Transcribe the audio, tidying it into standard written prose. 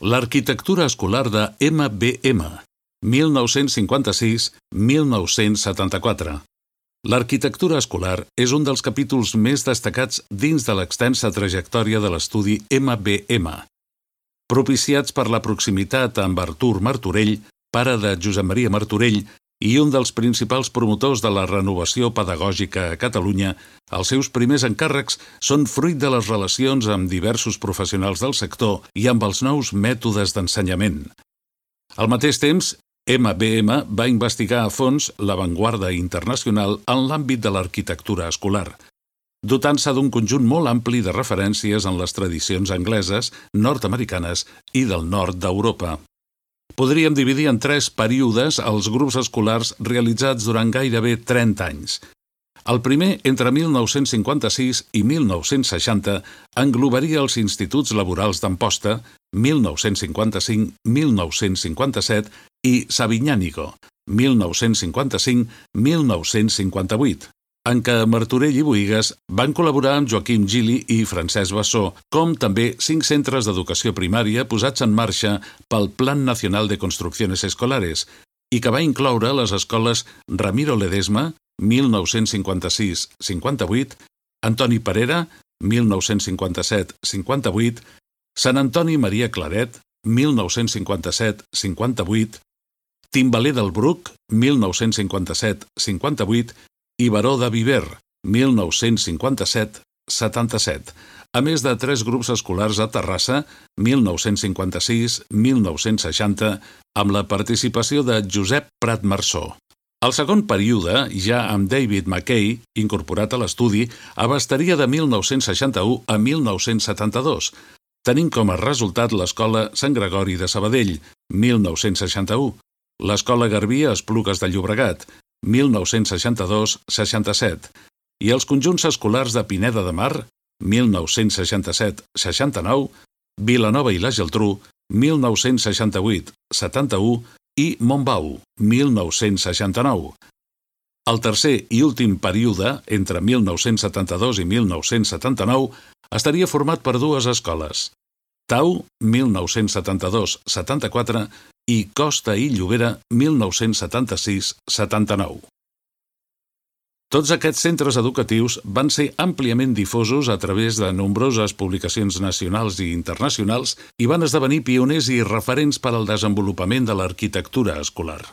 L'arquitectura escolar de MBM, 1956-1974. L'arquitectura escolar és un dels capítols més destacats dins de l'extensa trajectòria de l'estudi MBM. Propiciats per la proximitat amb Artur Martorell, pare de Josep Maria Martorell, i un dels principals promotors de la renovació pedagògica a Catalunya, els seus primers encàrrecs són fruit de les relacions amb diversos professionals del sector i amb els nous mètodes d'ensenyament. Al mateix temps, MBM va investigar a fons l'avantguarda internacional en l'àmbit de l'arquitectura escolar, dotant-se d'un conjunt molt ampli de referències en les tradicions angleses, nord-americanes i del nord d'Europa. Podríem dividir en 3 períodes els grups escolars realitzats durant gairebé 30 anys. El primer, entre 1956 i 1960, englobaria els instituts laborals d'Amposta, 1955-1957, i Sabinyànigo, 1955-1958, en què Martorell i Bohigas van col·laborar amb Joaquim Gili i Francesc Bassó, com també 5 centres d'educació primària posats en marxa pel Plan Nacional de Construcciones Escolares i que va incloure les escoles Ramiro Ledesma, 1956-58, Antoni Parera, 1957-58, Sant Antoni Maria Claret, 1957-58, Timbaler del Bruc, 1957-58, i Baró de Viver, 1957-77, a més de 3 grups escolars a Terrassa, 1956-1960, amb la participació de Josep Prat Marsó. El segon període, ja amb David McKay, incorporat a l'estudi, abastaria de 1961 a 1972, tenint com a resultat l'Escola Sant Gregori de Sabadell, 1961, l'Escola Garbí a Esplugues de Llobregat, 1962-67, i els conjunts escolars de Pineda de Mar, 1967-69, Vilanova i la Geltrú, 1968-71 i Montbau, 1969. El tercer i últim període, entre 1972 i 1979, estaria format per 2 escoles, Tau, 1972-74, i Costa i Llobera, 1976-79. Tots aquests centres educatius van ser àmpliament difosos a través de nombroses publicacions nacionals i internacionals i van esdevenir pioners i referents per al desenvolupament de l'arquitectura escolar.